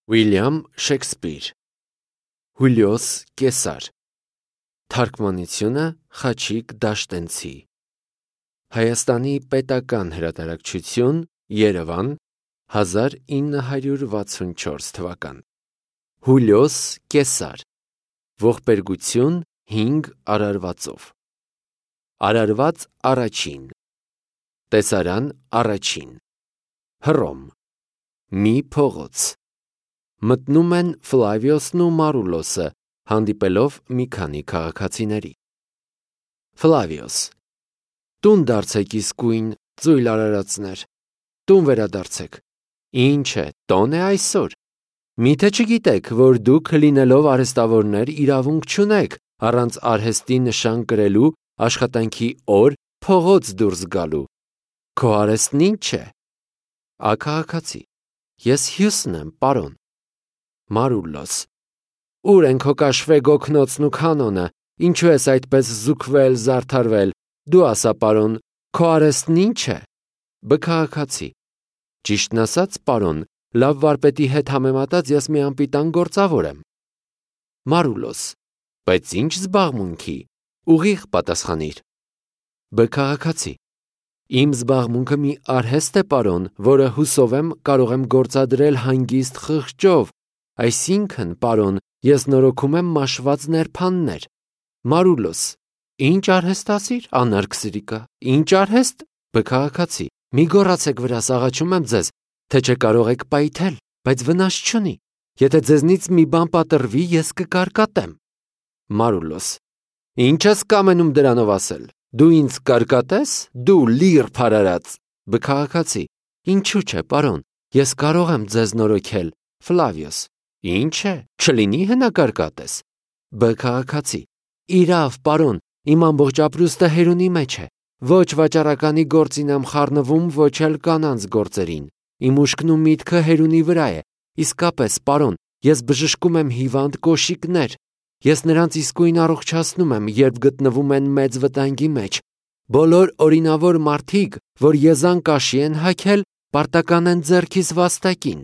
Ուիլյամ Շեքսպիր Հուլիոս Կեսար Թարգմանությունը Խաչիկ Դաշտենցի Հայաստանի պետական հրատարակչություն Երևան 1964 թվական Հուլիոս Կեսար Ողբերգություն 5 արարվածով Արարված առաջին Տեսարան առաջին Հռոմ Մի փողոց Մտնում են Ֆլավիոսն ու Մարուլոսը, հանդիպելով մի քանի քաղաքացիների։ Ֆլավիոս Տուն դարձեք իսկույն, ծույլ արարածներ, տուն վերադարձեք։ Ինչ է, տոն է այսօր։ Միթե չգիտեք, որ դուք լինելով արհեստավորներ իրավունք չունեք առանց արհեստի նշան կրելու աշխատանքի օր փողոց դուրս գալու։ Քո արհեստն ինչ է։ Աքաղաքացի Ես Հյուսն եմ, պարոն։ Մարուլոս Ուր են քո կաշվե գոգնոցն ու կանոնը, ինչու ես այդպես զուգվել, զարդարվել, դու ասա, պարոն, քո արհեստն ինչ է։ Բքահաքացի Ճիշտն ասած, պարոն, լավ վարպետի հետ համեմատած ես մի անպիտան գործավոր եմ։ Մարուլոս Բայց ինչ զբաղմունքի, ուղիղ պատասխանիր։ Բքահաքացի Իմ զբաղմունքը մի արհեստ է, պարոն, որը հուսով եմ կարող եմ գործադրել հանգիստ խղճով, այսինքն, պարոն, ես նորոգում եմ մաշված ներփաններ։ Մարուլոս Ինչ արհեստ ասիր, անարգ սրիկա, ինչ արհեստ։ Բքահաքացի Մի գոռացեք վրաս, աղաչում եմ ձեզ, թե չկարող եք պայթել, բայց վնաս չունի։ Եթե ձեզնից մի բան պատրվի, ես կկարկատեմ։ Մարուլոս Ինչ ես կամենում դրանով ասել։ Դու ինձ կարկատես, դու լիր փարարած։ Բքահաքացի Ինչու՞ չէ, պարոն, ես կարող եմ ձեզ նորոգել։ Ֆլավիոս Ինչ է, չլինի հնակարկատես։ Բքահաքացի Իրավ, պարոն, իմ ամբողջ ապրուստը հերունի մեջ է։ Ոչ վաճառականի գործին եմ խառնվում, ոչ էլ կանանց գործերին։ Իմ ուշքն ու միտքը հերունի վրա է։ Իսկապես, պարոն, ես բժշկում եմ հիվանդ կոշիկներ։ Ես նրանց իսկույն առողջացնում եմ, երբ գտնվում են մեծ վտանգի մեջ։ Բոլոր օրինավոր մարդիկ, որ եզան կաշի են հագել, պարտական են ձեռքիս վաստակին։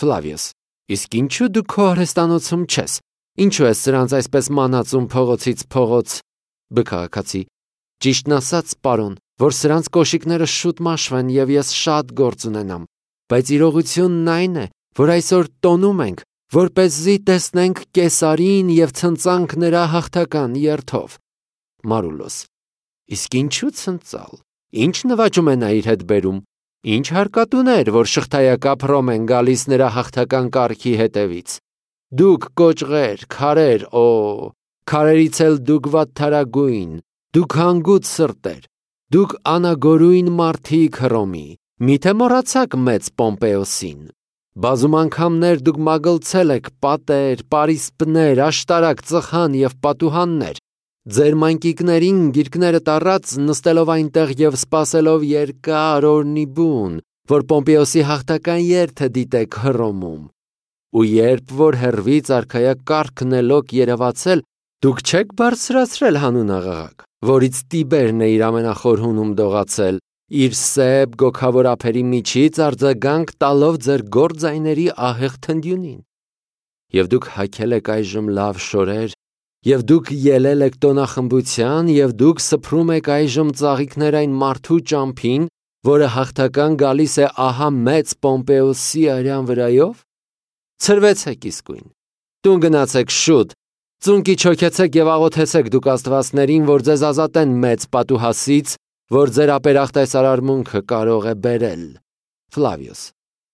Ֆլավիոս Իսկ ինչու դու քո արհեստանոցում չես։ Ինչու ես սրանց այսպես մանածում փողոցից փողոց։ Բքահաքացի Ճիշտն ասած, պարոն, որ սրանց կոշիկները շուտ մաշվեն եւ ես շատ գործ ունենամ, բայց իրողությունն այն է, որ այսօր տոնում ենք, որպեսզի տեսնենք Կեսարին եւ ցնծանք նրա հաղթական երթով։ Մարուլոս Իսկ ինչու ցնծալ։ Ինչ նվաճում է նա իր հետ բերում։ Ինչ հարկատուներ, որ շղթայակապ Հռոմ են գալիս նրա հաղթական կառքի հետևից։ Դուք կոճղեր, քարեր, քարերից էլ դուք վատթարագույն, դուք հանգույց սրտեր, դուք անագորույն մարդիկ Հռոմի, միթե մոռացաք մեծ Պոմպեոսին։ Բազում անգամներ դուք մագլցել եք պատեր, պարիսպներ, աշտարակ, ծխան եւ պատուհաններ։ Ձեր մանկիկներին գիրկները տառած նստելով այնտեղ եւ սպասելով երկար օրնի բուն, որ Պոմպեոսի հաղթական երթը դիտեք Հռոմում։ Ու երբ որ հեռվից արքայակ կառքն է լոկ երևացել, դուք չեք բարձրացրել հանուն աղաղակ, որից Տիբերն է իր ամենախոր հունում դողացել, իր սև գոքավոր ափերի միջից արձագանք տալով ձեր գործայների ահեղ թնդյունին։ Եվ դուք հագել եք այժմ լավ շորեր, եւ դուք ելել եք տոնախմբության, եւ դուք սփռում եք այժմ ծաղիկներ այն մարդու ճամփին, որը հաղթական գալիս է ահա մեծ Պոմպեոսի արյան վրայով։ Ցրվեցեք իսկույն։ Տուն գնացեք շուտ։ Ծունկի չոքեցեք եւ աղոթեցեք դուք աստվածներին, որ ձեզ ազատեն մեծ պատուհասից, որ ձեր ապերախտ այս արարմունքը կարող է բերել։ Ֆլավիոս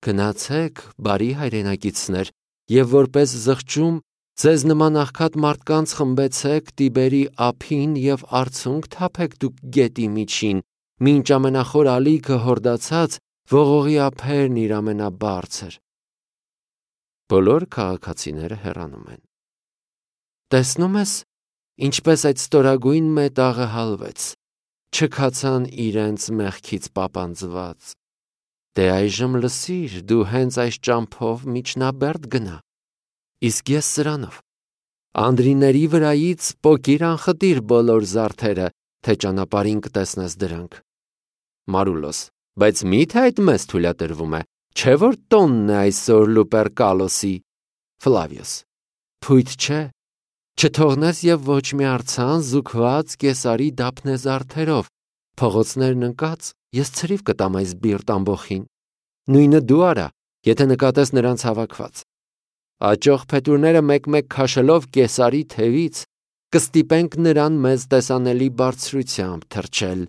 Գնացեք, բարի հայրենակիցներ, եւ որպես զղջում ձեզ նման աղքատ մարդկանց խմբեցեք Տիբերի ափին եւ արցունք թափեք դուք գետի միջին, մինչ ամենախոր ալիքը հորդացած ողողի ափերն իր ամենաբարձր։ Բոլոր քաղաքացիները հեռանում են։ Տեսնում ես, ինչպես այդ ստորագույն մետաղը հալվեց, չքացան իրենց մեղքից պապանձված։ Դե այժմ լսիր, դու հենց այս ճամփով միջնաբերդ գնա։ Իսկ ես սրանով անդրիների վրայից պոկիր անխտիր բոլոր զարդերը, թե ճանապարհին կտեսնես դրանք։ Մարուլոս Բայց միթե այդ մեզ թույլատրվում է, չէ որ տոնն է այսօր Լուպերկալոսի։ Ֆլավիոս. Փույթ չէ, չթողնես եւ ոչ մի արցան զուգված Կեսարի դափնեզարդերով, փողոցներն ընկած, ես ցրիվ կտամ այս բիրտ ամբոխին։ Նույնը դու արա, եթե նկատես նրանց հավաքված։ Աճող փետուրները մեկ-մեկ քաշելով Կեսարի թևից, կստիպենք նրան մեզ տեսանելի բարձրությամբ թռչել։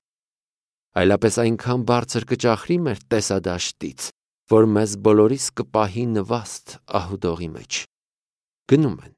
Այլապես այնքան բարձր կճախրի մեր տեսադաշտից, որ մեզ բոլորիս կպահի նվաստ ահուդողի մեջ։ Գնում են։